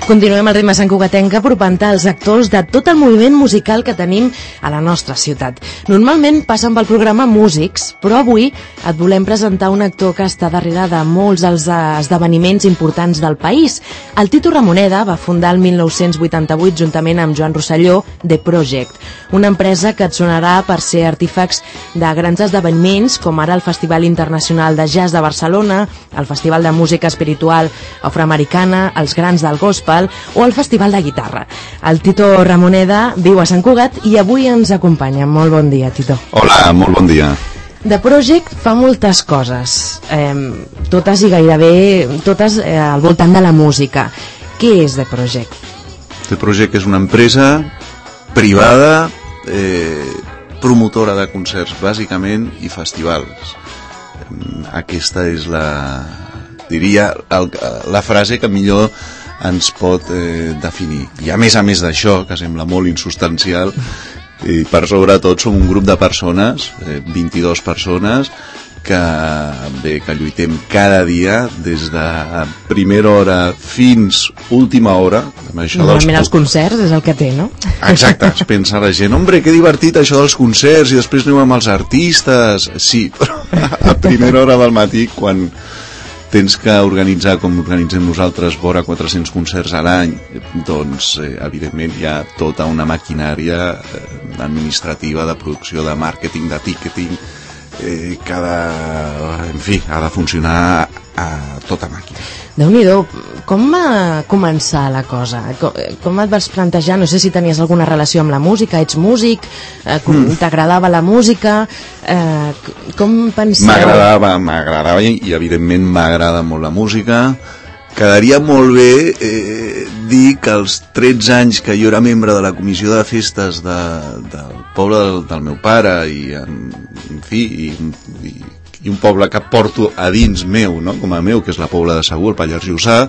Continuem al ritme santcugatenc apropant als actors de tot el moviment musical que tenim a la nostra ciutat. Normalment passen pel programa músics, però avui et volem presentar un actor que està darrere de molts dels esdeveniments importants del país. El Tito Ramoneda va fundar el 1988 juntament amb Joan Rosselló The Project, una empresa que et sonarà per ser artífex de grans esdeveniments com ara el Festival Internacional de Jazz de Barcelona, el Festival de Música Espiritual Afroamericana, els Grans del Gospel o el Festival de Guitarra. El Tito Ramoneda viu a Sant Cugat i avui ens acompanya. Molt bon dia, Tito. Hola, molt bon dia. The Project fa moltes coses, totes i gairebé totes al voltant de la música. Què és The Project? The Project és una empresa privada, promotora de concerts, bàsicament, i festivals. Aquesta és la frase que millor ens pot definir. I a més d'això, que sembla molt insubstancial, i per sobretot som un grup de persones, 22 persones, que lluitem cada dia des de primera hora fins última hora. Normalment els concerts és el que té, no? Exacte, es pensa la gent, hombre, que divertit això dels concerts i després anem amb els artistes. Sí, però a primera hora del matí, quan tens que organitzar, com organitzem nosaltres, vora 400 concerts a l'any, doncs, evidentment, hi ha tota una maquinària administrativa de producció, de màrqueting, de ticketing, que ha de funcionar a tota màquina. Déu-n'hi-do, com va començar la cosa? Com et vas plantejar? No sé si tenies alguna relació amb la música, ets músic, t'agradava la música, com penseu? M'agradava i evidentment m'agrada molt la música. Quedaria molt bé dir que als 13 anys que jo era membre de la comissió de festes del poble del meu pare i un poble que porto a dins meu, no? Com a meu, que és la Pobla de Segur, el Pallars Jussà,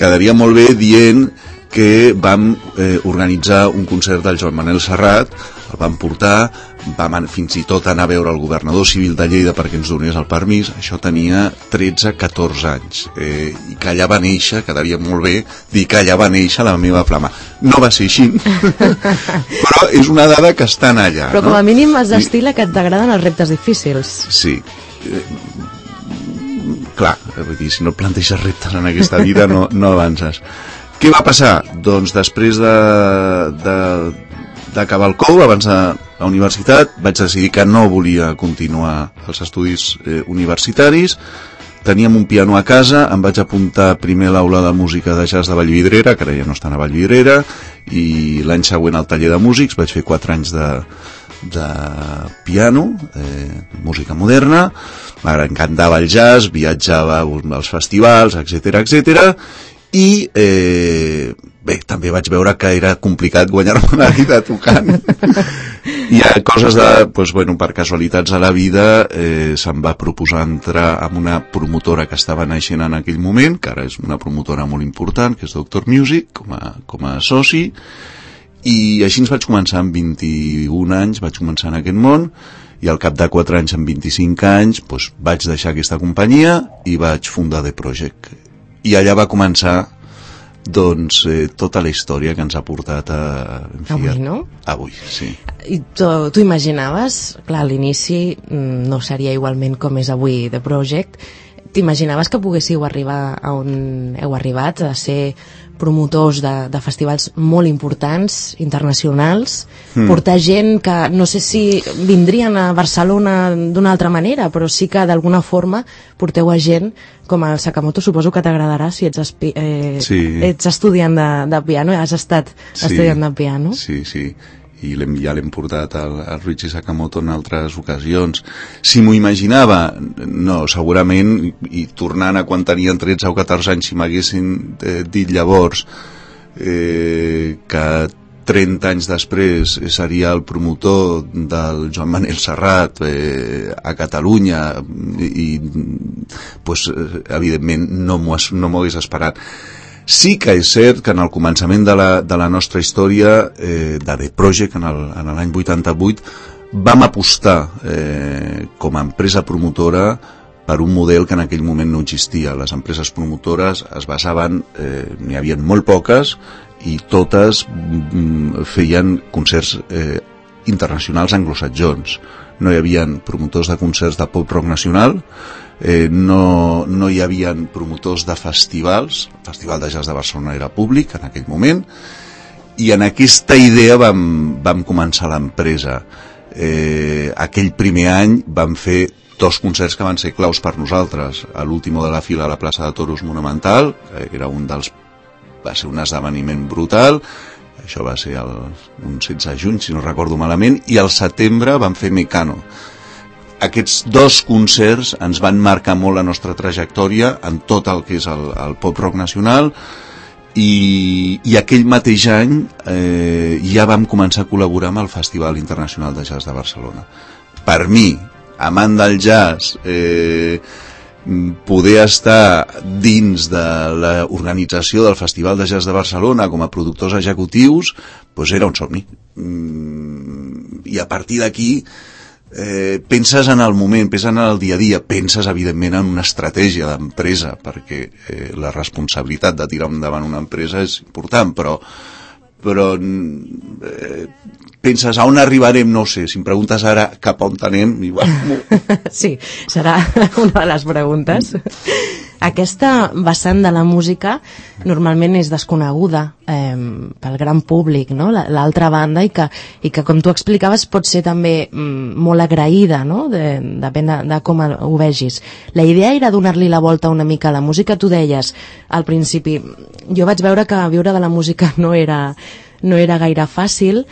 quedaria molt bé dient que vam organitzar un concert del Joan Manel Serrat, el vam portar, vam fins i tot anar a veure el governador civil de Lleida perquè ens donés el permís. Això tenia 13-14 anys, i que allà va néixer, quedaria molt bé dir que allà va néixer la meva flama. No va ser així, però és una dada que estan allà. Però com a mínim has d'estil que t'agraden els reptes difícils. Sí. Clar, vull dir, si no planteges reptes en aquesta vida no avances. Què va passar? Doncs després d'acabar el COU, abans de la universitat, vaig decidir que no volia continuar els estudis universitaris. Teníem un piano a casa, em vaig apuntar primer a l'aula de música de jazz de Vallvidrera, que ara ja no estan a Vallvidrera, i l'any següent al taller de músics, vaig fer 4 anys de piano, música moderna. M'encantava el jazz, viatjava als festivals, etc. I bé, també vaig veure que era complicat guanyar-me la vida tocant. Hi ha coses per casualitats a la vida, se'm va proposar entrar en una promotora que estava naixent en aquell moment, que ara és una promotora molt important, que és Doctor Music, com a soci, i així ens vaig començar amb 21 anys, vaig començar en aquest món, i al cap de 4 anys, amb 25 anys, vaig deixar aquesta companyia i vaig fundar The Project. I allà va començar tota la història que ens ha portat avui, no? Avui, sí. I tu imaginaves, clar, a l'inici no seria igualment com és avui The Project, t'imaginaves que poguéssiu arribar a on heu arribat, a ser promotors de festivals molt importants, internacionals, portar gent que no sé si vindrien a Barcelona d'una altra manera, però sí que d'alguna forma porteu a gent com el Sakamoto, suposo que t'agradarà si ets estudiant de piano, has estat estudiant de piano. Sí, i ja l'hem portat al Ryuichi Sakamoto en altres ocasions. Si m'ho imaginava, no, segurament, i tornant a quan tenien 13 o 14 anys, si m'haguessin dit llavors que 30 anys després seria el promotor del Joan Manel Serrat a Catalunya, i evidentment no m'ho hagués esperat. Sí que és cert que en el començament de la nostra història de The Project, en l'any 88, vam apostar com a empresa promotora per un model que en aquell moment no existia. Les empreses promotores es basaven, n'hi havia molt poques, i totes feien concerts internacionals anglosaxons. No hi havia promotors de concerts de pop-rock nacional, no hi havia promotors de festivals. El Festival de Jazz de Barcelona era públic en aquell moment, i en aquesta idea vam començar l'empresa. Aquell primer any vam fer 2 concerts que van ser claus per nosaltres. L'último de la fila a la plaça de Toros Monumental, que era va ser un esdeveniment brutal. Això va ser un 16 de juny, si no recordo malament, i al setembre vam fer Mecano. Aquests 2 concerts ens van marcar molt la nostra trajectòria en tot el que és el pop-rock nacional, i aquell mateix any ja vam començar a col·laborar amb el Festival Internacional de Jazz de Barcelona. Per mi, amant del jazz, poder estar dins de l'organització del Festival de Jazz de Barcelona com a productors executius, doncs era un somni. I a partir d'aquí penses en el moment, penses en el dia a dia, penses evidentment en una estratègia d'empresa, perquè la responsabilitat de tirar endavant una empresa és important, però penses a on arribarem, no ho sé. Si em preguntes ara cap a on anem, igual... Sí, serà una de les preguntes. Aquesta vessant de la música normalment és desconeguda pel gran públic, no? L'altra banda, i que com tu explicaves pot ser també molt agraïda, no? Depèn de com ho vegis. La idea era donar-li la volta una mica a la música. Tu deies al principi, jo vaig veure que viure de la música no era gaire fàcil.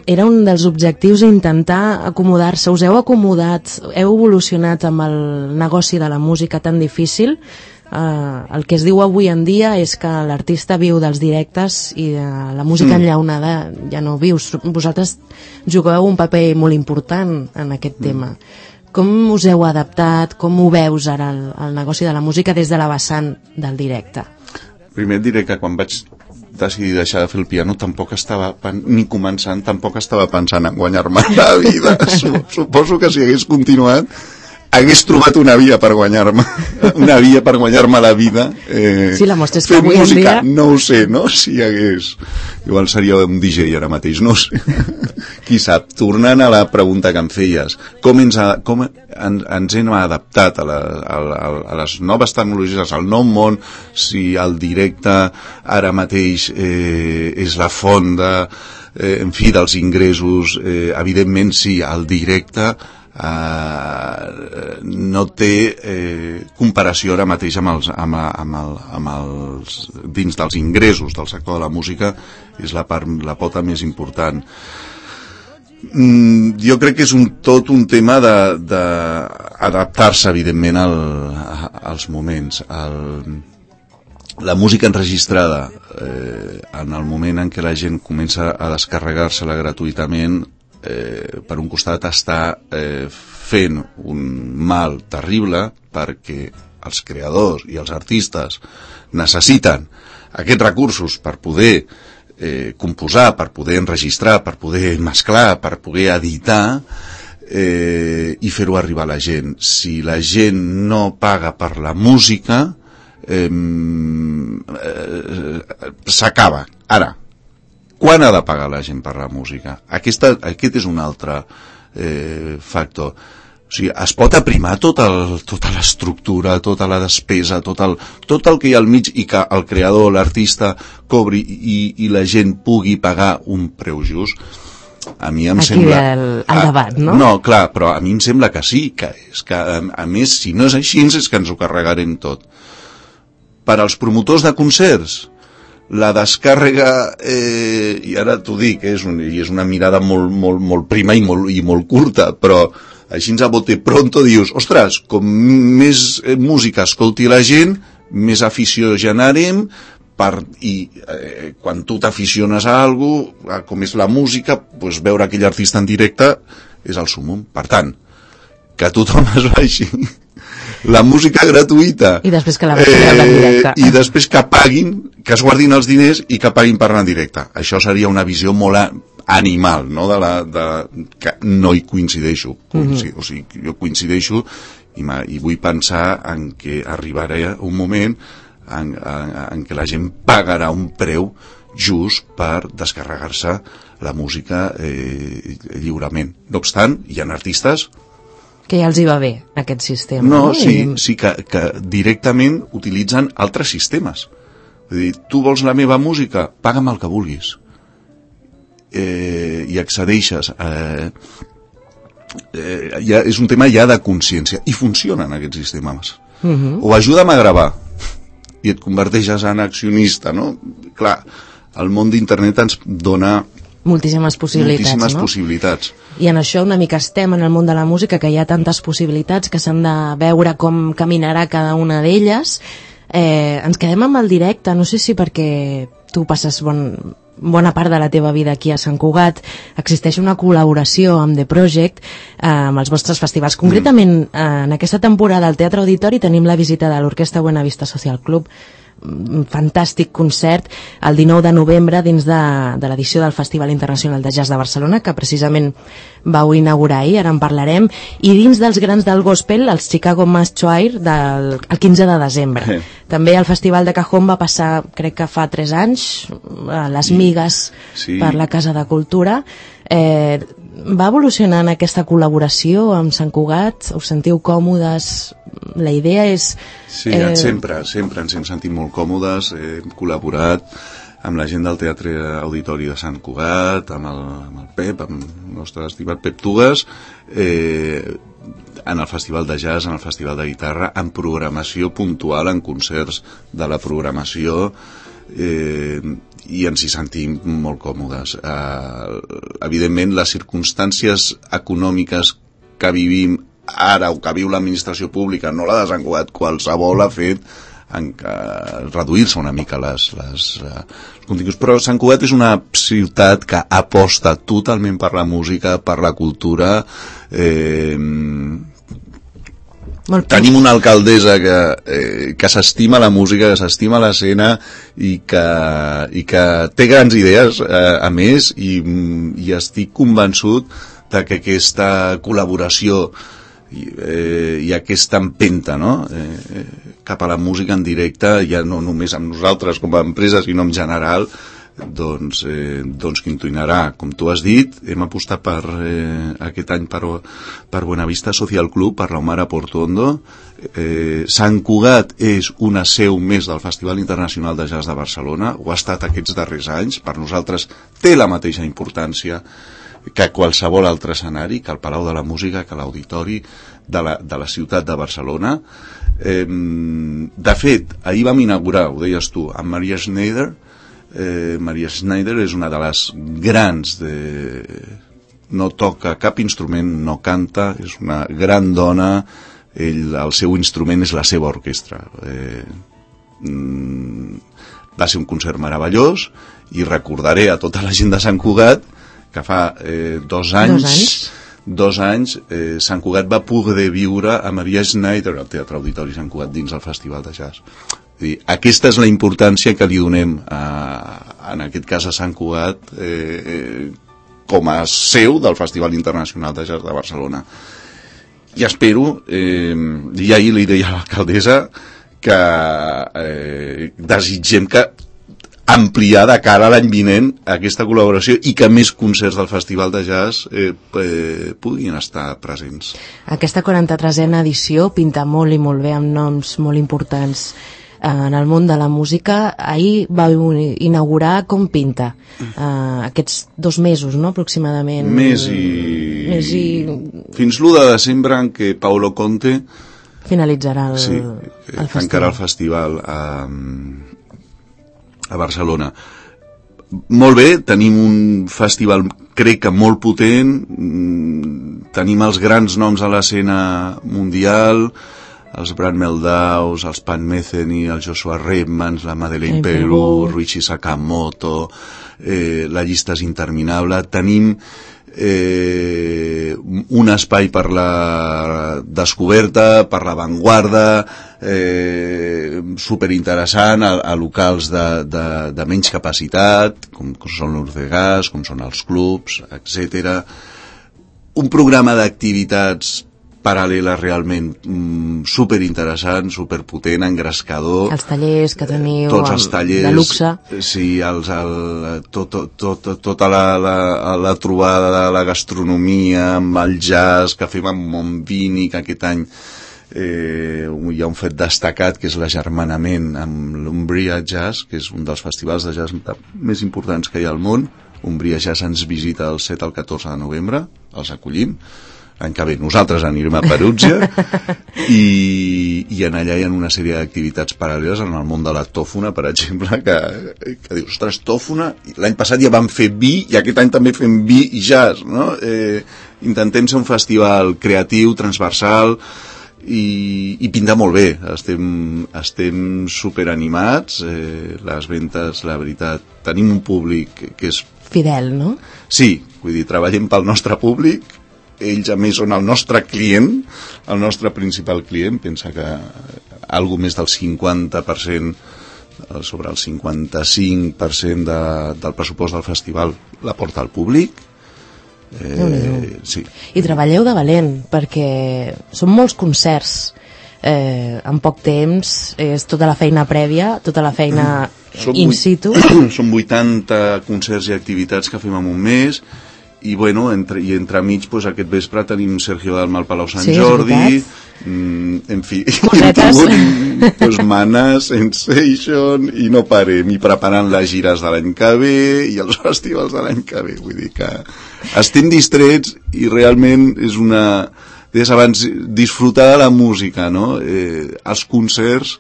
Era un dels objectius intentar acomodar-se. Us heu acomodat, heu evolucionat amb el negoci de la música tan difícil. El que es diu avui en dia és que l'artista viu dels directes i de la música enllaunada ja no vius. Vosaltres jugueu un paper molt important en aquest tema. Com us heu adaptat? Com ho veus ara el negoci de la música des de la vessant del directe? Primer et diré que quan vaig decidir deixar de fer el piano tampoc estava tampoc estava pensant en guanyar-me la vida. Suposo que si hagués continuat hagués trobat una via per guanyar-me la vida. Sí, la mostra és que avui en dia... No ho sé, no? Si hagués... Igual seria un DJ ara mateix, no ho sé. Qui sap? Tornant a la pregunta que em feies, com ens hem adaptat a les noves tecnologies, al nou món, si el directe ara mateix és la font dels ingressos, evidentment sí, el directe no té comparació ara mateix amb els dins dels ingressos del sector de la música. És la pota més important. Jo crec que és tot un tema d'adaptar-se evidentment als moments. La música enregistrada en el moment en què la gent comença a descarregar-se-la gratuïtament, per un costat està fent un mal terrible, perquè els creadors i els artistes necessiten aquests recursos per poder composar, per poder enregistrar, per poder mesclar, per poder editar i fer-ho arribar a la gent. Si la gent no paga per la música, s'acaba. Ara, quan ha de pagar la gent per la música? Aquest és un altre factor. O sigui, es pot aprimar tota l'estructura, tota la despesa, tot el que hi ha al mig, i que el creador, l'artista, cobri i la gent pugui pagar un preu just. A mi em sembla... Aquí el debat, no? No, clar, però a mi em sembla que sí, que és que, a més, si no és així, és que ens ho carregarem tot. Per als promotors de concerts, la descàrrega, i ara t'ho dic, és una mirada molt prima i molt curta, però així a bote pronto dius, ostres, com més música escolti la gent, més afició generem, i quan tu t'aficiones a alguna cosa, com és la música, doncs veure aquell artista en directe és el súmmum. Per tant, que tothom es vagi la música gratuïta i després que la vagi veure en directe i després que paguin, que es guardin els diners i que paguin per anar en directe. Això seria una visió molt animal, no? Que no hi coincideixo. O sigui, jo coincideixo i vull pensar en què arribarà un moment en què la gent pagarà un preu just per descarregar-se la música lliurement. No obstant, hi ha artistes que ja els hi va bé aquest sistema. No, sí que directament utilitzen altres sistemes. Vull dir, tu vols la meva música? Paga'm el que vulguis. I accedeixes. És un tema ja de consciència. I funcionen aquests sistemes. O ajuda'm a gravar i et converteixes en accionista, no? Clar, el món d'internet ens dona moltíssimes possibilitats. I en això una mica estem en el món de la música, que hi ha tantes possibilitats que s'han de veure com caminarà cada una d'elles. Ens quedem amb el directe, no sé si perquè tu passes bona part de la teva vida aquí a Sant Cugat, existeix una col·laboració amb The Project, amb els vostres festivals. Concretament, en aquesta temporada al Teatre Auditori tenim la visita de l'Orquestra Buenavista Social Club, un fantàstic concert el 19 de novembre dins de l'edició del Festival Internacional de Jazz de Barcelona, que precisament vau inaugurar ahir, ara en parlarem, i dins dels grans del gospel, els Chicago Mass Choir el 15 de desembre. També el Festival de Cajón va passar, crec que fa 3 anys, a les Migues per la Casa de Cultura. Va evolucionant aquesta col·laboració amb Sant Cugat? Us sentiu còmodes? La idea és... Sí, sempre ens hem sentit molt còmodes, hem col·laborat amb la gent del Teatre Auditori de Sant Cugat, amb el Pep, amb el nostre estimat Pep Tugues, en el Festival de Jazz, en el Festival de Guitarra, en programació puntual, en concerts de la programació, i ens hi sentim molt còmodes. Evidentment, les circumstàncies econòmiques que vivim ara o que viu l'administració pública, no la de Sant Cugat, qualsevol ha fet en reduir-se una mica els continguts, però Sant Cugat és una ciutat que aposta totalment per la música, per la cultura. Tenim una alcaldessa que s'estima la música, que s'estima l'escena i que té grans idees, a més, i estic convençut de que aquesta col·laboració i aquesta empenta, no? Cap a la música en directe, ja no només amb nosaltres com a empresa, sinó en general, doncs continuarà. Com tu has dit, hem apostat aquest any per Buenavista Social Club, per l'Omar Portuondo. Sant Cugat és una seu més del Festival Internacional de Jazz de Barcelona, ho ha estat aquests darrers anys, per nosaltres té la mateixa importància que qualsevol altre escenari, que el Palau de la Música, que l'Auditori de la ciutat de Barcelona. De fet, ahir vam inaugurar, ho deies tu, amb Maria Schneider. Maria Schneider és una de les grans no toca cap instrument, no canta, és una gran dona, el seu instrument és la seva orquestra. Va ser un concert meravellós i recordaré a tota la gent de Sant Cugat que fa 2 anys Sant Cugat va poder viure a Maria Schneider al Teatre Auditori Sant Cugat dins el Festival de Jazz. Aquesta és la importància que li donem en aquest cas a Sant Cugat com a seu del Festival Internacional de Jazz de Barcelona. I espero, i ahir li deia a l'alcaldessa, que desitgem que ampliar de cara a l'any vinent aquesta col·laboració i que més concerts del Festival de Jazz puguin estar presents. Aquesta 43a edició pinta molt i molt bé, amb noms molt importants en el món de la música. Ahir va inaugurar Com Pinta, aquests 2 mesos, no?, aproximadament. Més i... Fins l'1 de desembre en què Paolo Conte finalitzarà el festival. Tancarà el festival a Barcelona. Molt bé, tenim un festival crec que molt potent, tenim els grans noms a l'escena mundial, els Brad Meldaus, els Pat Metheny, el Joshua Redmans, la Madeleine Peru, Ruichi Sakamoto, la llista és interminable. Tenim un espai per la descoberta, per l'avantguarda, superinteressant, a locals de menys capacitat, com són l'Urcegas, com són els clubs, etc. Un programa d'activitats paral·lela realment superinteressant, superpotent, engrescador. Els tallers que teniu, tots els tallers, de luxe. Sí, tota la trobada de la gastronomia amb el jazz que fem amb Montbini, que aquest any hi ha un fet destacat que és l'agermanament amb l'Umbria Jazz, que és un dels festivals de jazz més importants que hi ha al món. Umbria Jazz ens visita el 7 al 14 de novembre, els acollim. L'any que ve nosaltres anirem a Perugia i en allà hi ha una sèrie d'activitats paral·leles en el món de la tòfona, per exemple, que dius, ostres, tòfona, l'any passat ja vam fer vi i aquest any també fem vi i jazz, no? Intentem ser un festival creatiu, transversal i pinta molt bé. Estem superanimats, les ventes, la veritat, tenim un públic que és fidel, no? Sí, vull dir, treballem pel nostre públic, ells a més són el nostre client, el nostre principal client. Pensa que algo més del 50%, sobre el 55% del pressupost del festival la porta al públic. Sí. I treballeu de valent, perquè són molts concerts en poc temps, és tota la feina prèvia, tota la feina in situ. Són 80 concerts i activitats que fem en un mes, i bueno, entremig pues, aquest vespre tenim Sergio Dalma al Palau Sant Jordi, en fi, pues, Mana, Sensation, i no parem, i preparant les gires de l'any que ve i els festivals de l'any que ve. Vull dir que estem distrets i realment és una... Deies abans, disfrutar de la música, no? Els concerts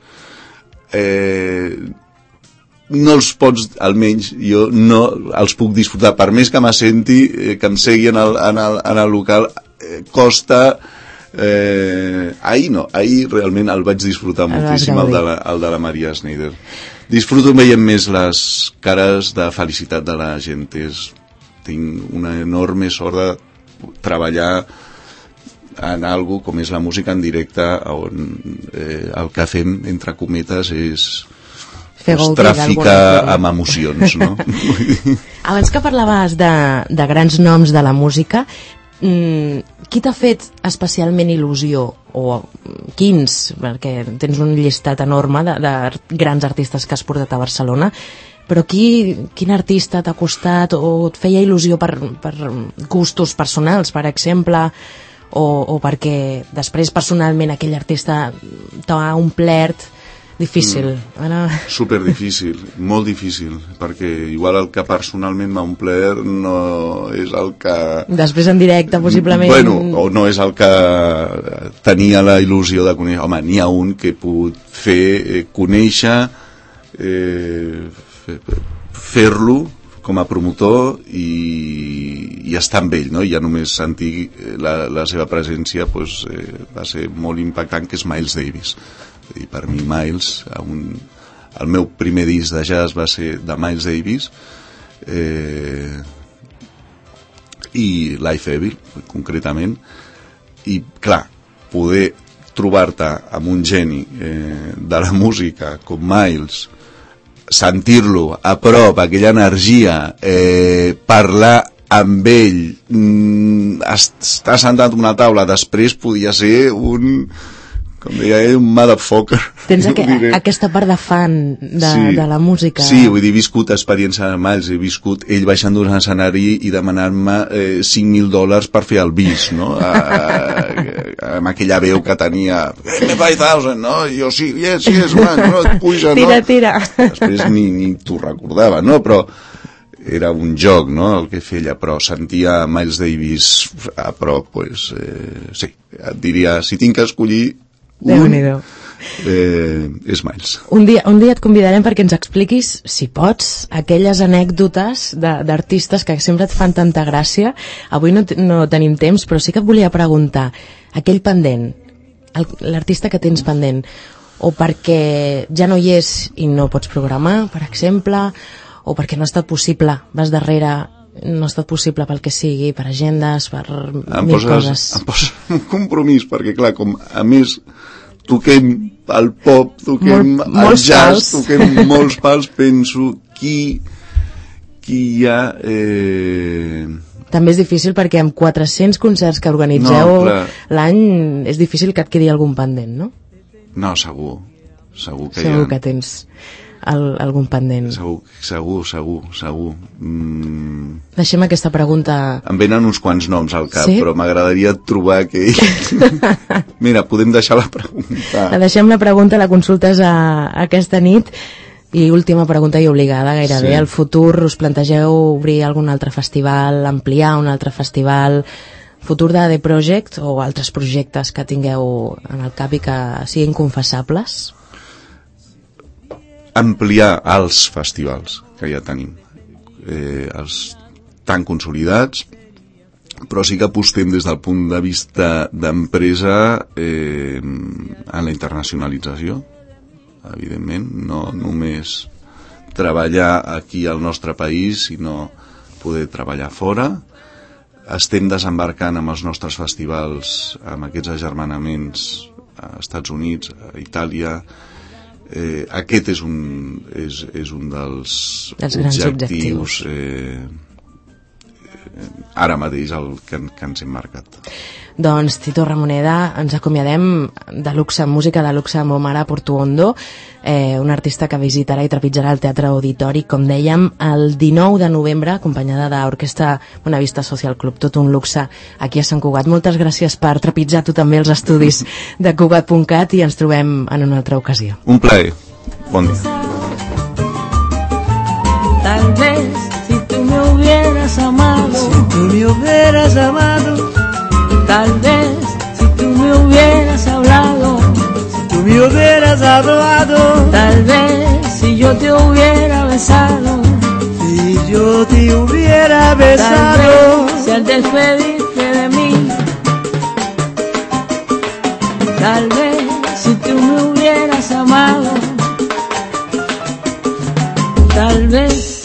no els pots, almenys jo no els puc disfrutar, per més que m'assenti, que em segui en el local, costa. Ahir realment el vaig disfrutar moltíssim, el de la Maria Schneider. Disfruto veient més les cares de felicitat de la gent. Tinc una enorme sort de treballar en algo com és la música en directe, on el que fem, entre cometes, és tràfica amb emocions, no? Abans que parlaves de grans noms de la música, qui t'ha fet especialment il·lusió, o quins, perquè tens un llistat enorme de grans artistes que has portat a Barcelona, però quin artista t'ha costat o et feia il·lusió per gustos personals, per exemple, o perquè després personalment aquell artista t'ha omplert? Difícil. Super difícil, molt difícil, perquè igual el que personalment m'ha omplert no és el que... Després en directe, possiblement... Bueno, o no és el que tenia la il·lusió de conèixer. Home, n'hi ha un que he pogut fer, conèixer, fer-lo com a promotor i estar amb ell, no? I ja només sentir la seva presència pues, va ser molt impactant, que és Miles Davis. I per mi Miles, el meu primer disc de jazz va ser de Miles Davis, i Life Evil concretament, i clar, poder trobar-te amb un geni de la música com Miles, sentir-lo a prop, aquella energia, parlar amb ell, estar sentat a una taula, després podia ser com deia ell, un motherfucker. Tens aquesta part de fan de la música. Sí, vull dir, he viscut experiència de Miles, he viscut ell baixant d'un escenari i demanant-me $5,000 per fer el bis, no? Amb aquella veu que tenia, me 5,000, no? I jo, sí, yes, man, no, et puja, no? Tira. Després ni t'ho recordava, no? Però era un joc, no?, el que feia, però sentia Miles Davis a prop, pues, sí, et diria, si tinc que escollir és Miles. Un dia et convidarem perquè ens expliquis, si pots, aquelles anècdotes d'artistes que sempre et fan tanta gràcia. Avui no tenim temps, però sí que et volia preguntar, aquell pendent, l'artista que tens pendent, o perquè ja no hi és i no pots programar, per exemple, o perquè no ha estat possible, vas darrere, no ha estat possible pel que sigui, per agendes, per mil coses. Em posa un compromís, perquè clar, com a més toquem el pop, toquem el jazz, toquem molts pals, penso qui hi ha també és difícil perquè amb 400 concerts que organitzeu l'any és difícil que et quedi algun pendent, no? No, segur que segur que tens algun pendent. Segur. Deixem aquesta pregunta... Em venen uns quants noms al cap, sí? Però m'agradaria trobar aquell... Mira, podem deixar la pregunta. Deixem la pregunta, la consultes aquesta nit. I última pregunta i obligada gairebé. Sí. Al futur us plantegeu obrir algun altre festival, ampliar un altre festival, futur de The Project o altres projectes que tingueu en el cap i que siguin confessables? Ampliar els festivals que ja tenim, els tan consolidats, però sí que apostem des del punt de vista d'empresa en la internacionalització, evidentment, no només treballar aquí al nostre país, sinó poder treballar fora. Estem desembarcant amb els nostres festivals, amb aquests agermanaments a Estats Units, a Itàlia. Aquest és un dels objectius ara mateix que ens hem marcat. Doncs Tito Ramoneda, ens acomiadem de luxe, música de luxe amb Omar Portuondo, un artista que visitarà i trepitjarà el Teatre Auditori, com dèiem, el 19 de novembre, acompanyada de l'Orquestra Bonavista Social Club, tot un luxe aquí a Sant Cugat. Moltes gràcies per trepitjar tu també els estudis de Cugat.cat i ens trobem en una altra ocasió. Un plaer. Bon dia. Tal vez si tú me hubieras amado, tal vez si tú me hubieras hablado, tal vez si yo te hubiera besado, tal vez si al despedirte de mí, tal vez si tú me hubieras amado, tal vez